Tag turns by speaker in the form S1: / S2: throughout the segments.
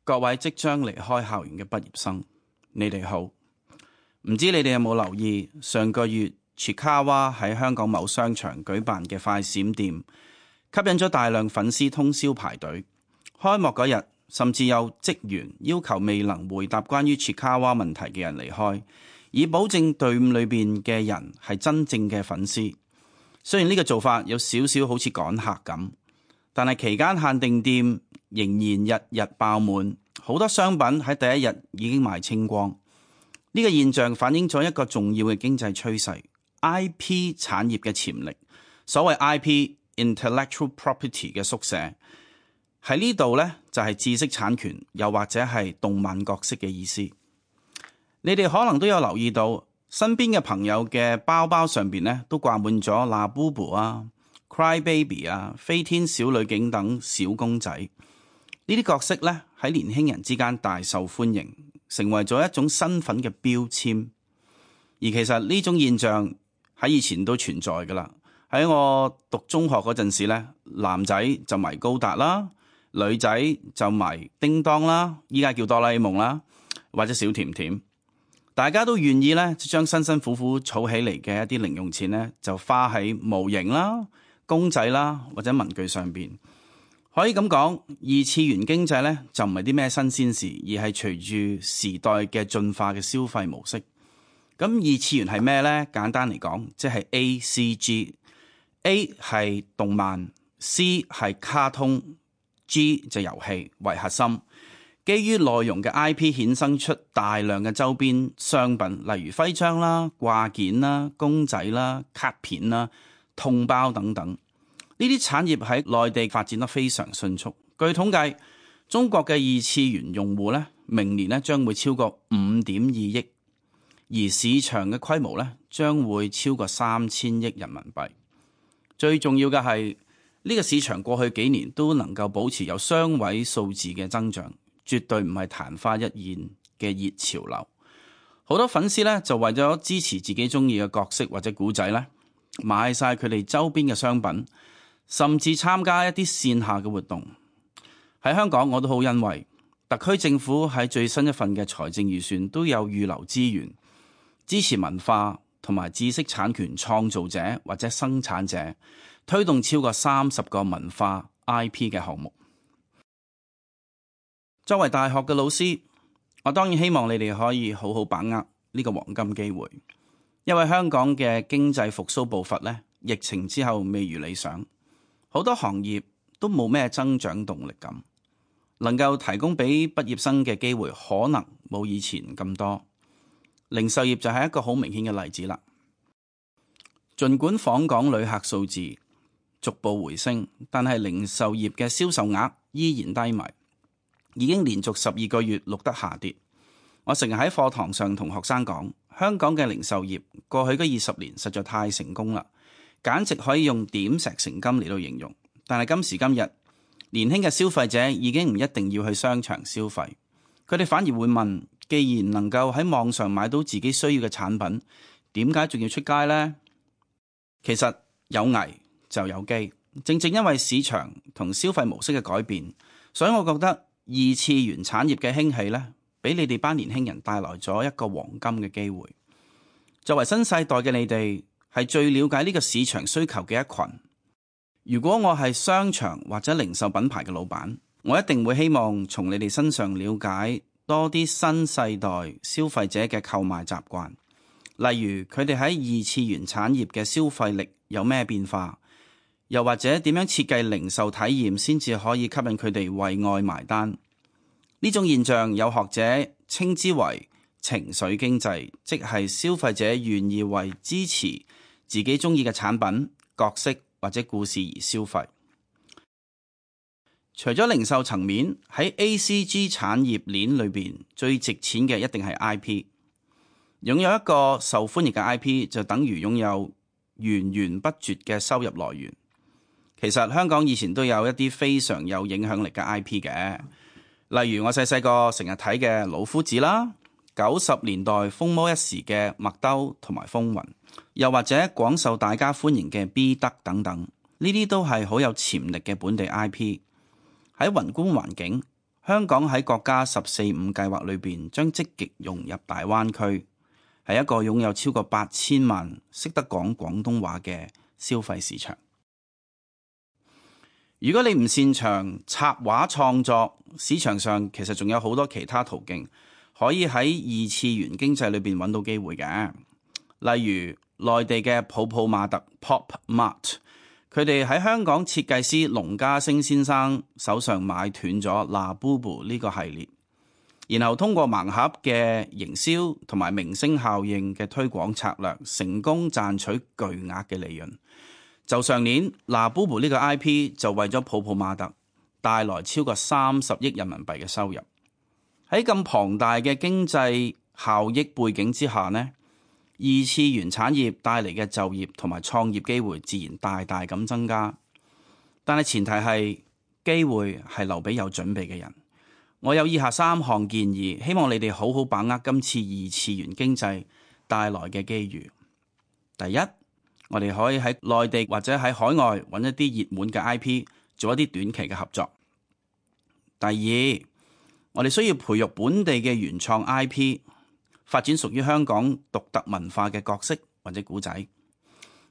S1: 各位即將離開校園嘅畢業生，你哋好。唔知你哋有冇留意上個月 Chiikawa 喺香港某商場舉辦嘅快閃店，吸引咗大量粉絲通宵排隊。開幕嗰日，甚至有職員要求未能回答關於 Chiikawa 問題嘅人離開，以保證隊伍裏邊嘅人係真正嘅粉絲。雖然呢個做法有少少好似趕客咁，但係期間限定店仍然日日爆滿，好多商品喺第一日已經賣清光。呢個現象反映咗一個重要嘅經濟趨勢 ，IP 產業嘅潛力。所謂 IP intellectual property 嘅縮寫喺呢度呢，就係知識產權，又或者係動漫角色嘅意思。你哋可能都有留意到，身邊嘅朋友嘅包包上邊呢，都掛滿咗 Labubu 啊、Cry Baby 啊、飛天小女警等小公仔。呢啲角色呢，喺年輕人之間大受歡迎，成為咗一種身份嘅標籤。而其實呢種現象喺以前都存在噶啦。喺我讀中學嗰陣時呢，男仔就迷高達啦，女仔就迷叮當啦，依家叫哆啦 A 夢啦，或者小甜甜。大家都願意咧，將辛辛苦苦儲起嚟嘅一啲零用錢咧，就花喺模型啦、公仔啦或者文具上邊。可以咁講，二次元經濟咧就唔係啲咩新鮮事，而係隨住時代嘅進化嘅消費模式。咁二次元係咩呢？簡單嚟講，即係 ACG。A 係動漫，C 係卡通，G 就遊戲為核心。基於內容嘅 IP 衍生出大量嘅周邊商品，例如徽章啦、掛件啦、公仔啦、卡片啦、痛包等等。呢啲產業喺內地發展得非常迅速。據統計，中國嘅二次元用戶咧，明年咧將會超過5.2億，而市場嘅規模咧將會超過3000億人民幣。最重要嘅係呢個市場過去幾年都能夠保持有雙位數字嘅增長。絕對唔係曇花一現嘅熱潮流，好多粉絲咧就為咗支持自己中意嘅角色或者古仔咧，買晒佢哋周邊嘅商品，甚至參加一啲線下嘅活動。喺香港我都好欣慰，特區政府喺最新一份嘅財政預算都有預留資源，支持文化同埋知識產權創造者或者生產者，推動超過30個文化 IP 嘅項目。作為大學嘅老師，我當然希望你哋可以好好把握呢個黃金機會，因為香港嘅經濟復甦步伐呢，疫情之後未如理想，好多行業都冇咩增長動力咁，能夠提供俾畢業生嘅機會可能冇以前咁多。零售業就係一個好明顯嘅例子啦。儘管訪港旅客數字逐步回升，但係零售業嘅銷售額依然低迷。已經連續12個月錄得下跌。我成日喺課堂上同學生講，香港嘅零售業過去嗰20年實在太成功啦，簡直可以用點石成金嚟到形容。但係今時今日，年輕嘅消費者已經唔一定要去商場消費，佢哋反而會問：既然能夠喺網上買到自己需要嘅產品，點解仲要出街呢？其實有危就有機，正正因為市場同消費模式嘅改變，所以我覺得二次元產業嘅興起呢，俾你哋班年輕人帶來咗一個黃金嘅機會。作為新世代嘅你哋，係最了解呢個市場需求嘅一群。如果我係商場或者零售品牌嘅老闆，我一定會希望從你哋身上了解多啲新世代消費者嘅購買習慣，例如佢哋喺二次元產業嘅消費力有咩變化，又或者點樣設計零售體驗先至可以吸引佢哋為愛埋單。呢種現象有學者稱之為情緒經濟，即係消費者願意為支持自己中意嘅產品、角色或者故事而消費。除咗零售層面，喺 ACG 產業鏈裏邊最值錢嘅一定係 IP。擁有一個受歡迎嘅 IP 就等於擁有源源不絕嘅收入來源。其實香港以前都有一啲非常有影響力嘅 IP 嘅，例如我細個成日睇嘅老夫子啦，90年代風靡一時嘅麥兜同埋風雲，又或者廣受大家歡迎嘅 B 德等等，呢啲都係好有潛力嘅本地 IP。喺宏觀環境，香港喺國家14.5計劃裏邊，將積極融入大灣區，係一個擁有超過8000萬識得講廣東話嘅消費市場。如果你唔擅長插畫創作，市場上其實仲有好多其他途徑可以喺二次元經濟裏邊揾到機會嘅。例如內地嘅泡泡瑪特 Pop Mart， 佢哋喺香港設計師龍家星先生手上買斷咗 Labubu 呢個系列，然後通過盲盒嘅營銷同埋明星效應嘅推廣策略，成功賺取巨額嘅利潤。就上年 Labubu 呢個 IP 就為咗泡泡瑪特帶來超過30億人民幣嘅收入。喺咁龐大嘅經濟效益背景之下呢，二次元產業帶嚟嘅就業同埋創業機會自然大大咁增加。但係前提係機會係留俾有準備嘅人。我有以下3項建議，希望你哋好好把握今次二次元經濟帶來嘅機遇。第一，我哋可以喺內地或者喺海外揾一啲熱門嘅 IP， 做一啲短期嘅合作。第二，我哋需要培育本地嘅原創 IP， 發展屬於香港獨特文化嘅角色或者故仔。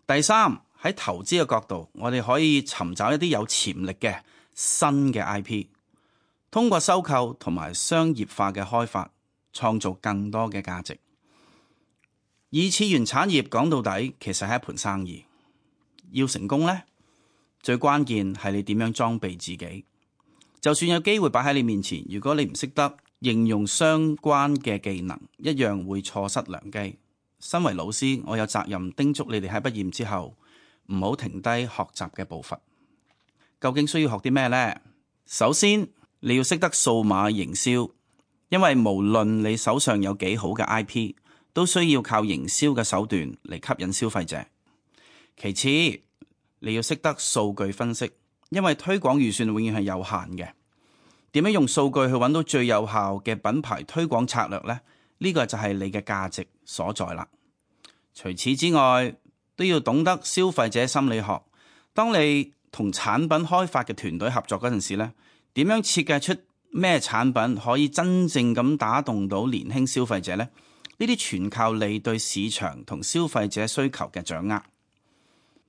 S1: 第三，喺投資嘅角度，我哋可以尋找一啲有潛力嘅新嘅 IP， 通過收購同埋商業化嘅開發，創造更多嘅價值。二次元產業講到底其實係一盤生意，要成功呢，最關鍵係你點樣裝備自己。就算有機會擺喺你面前，如果你唔識得應用相關嘅技能，一樣會錯失良機。身為老師，我有責任叮囑你哋喺畢業之後唔好停低學習嘅步伐。究竟需要學啲咩呢？首先你要識得數碼營銷，因為無論你手上有幾好嘅 IP，都需要靠營銷嘅手段嚟吸引消費者。其次，你要識得數據分析，因為推廣預算永遠係有限嘅。點樣用數據去揾到最有效嘅品牌推廣策略呢？呢個就係你嘅價值所在啦。除此之外，都要懂得消費者心理學。當你同產品開發嘅團隊合作嗰陣時呢，點樣設計出咩產品可以真正咁打動到年輕消費者呢？呢啲全靠你對市場同消費者需求嘅掌握。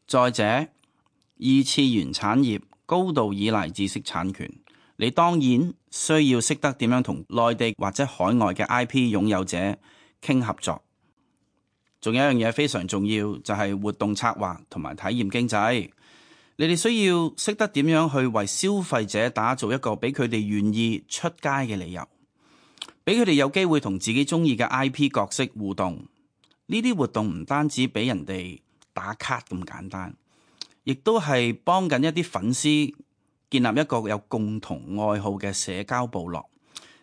S1: 再者，二次元產業高度依賴知識產權，你當然需要識得點樣同內地或者海外嘅 IP 擁有者傾合作。仲有一樣嘢非常重要，就係活動策劃同埋體驗經濟。你哋需要識得點樣去為消費者打造一個俾佢哋願意出街嘅理由，俾佢哋有機會同自己中意嘅 IP 角色互動。呢啲活動唔單止俾人哋打卡咁簡單，亦都係幫緊一啲粉絲建立一個有共同愛好嘅社交部落。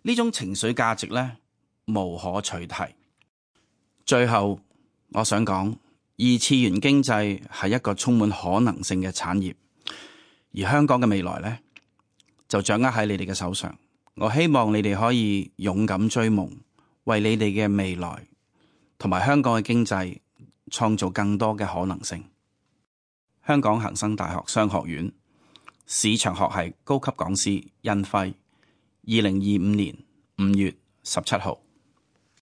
S1: 呢種情緒價值呢，無可取替。最後我想講，二次元經濟係一個充滿可能性嘅產業，而香港嘅未來呢，就掌握喺你哋嘅手上。我希望你哋可以勇敢追夢，為你哋嘅未來同埋香港嘅經濟創造更多嘅可能性。香港恒生大學商學院市場學系高級講師殷輝，2025年5月17號。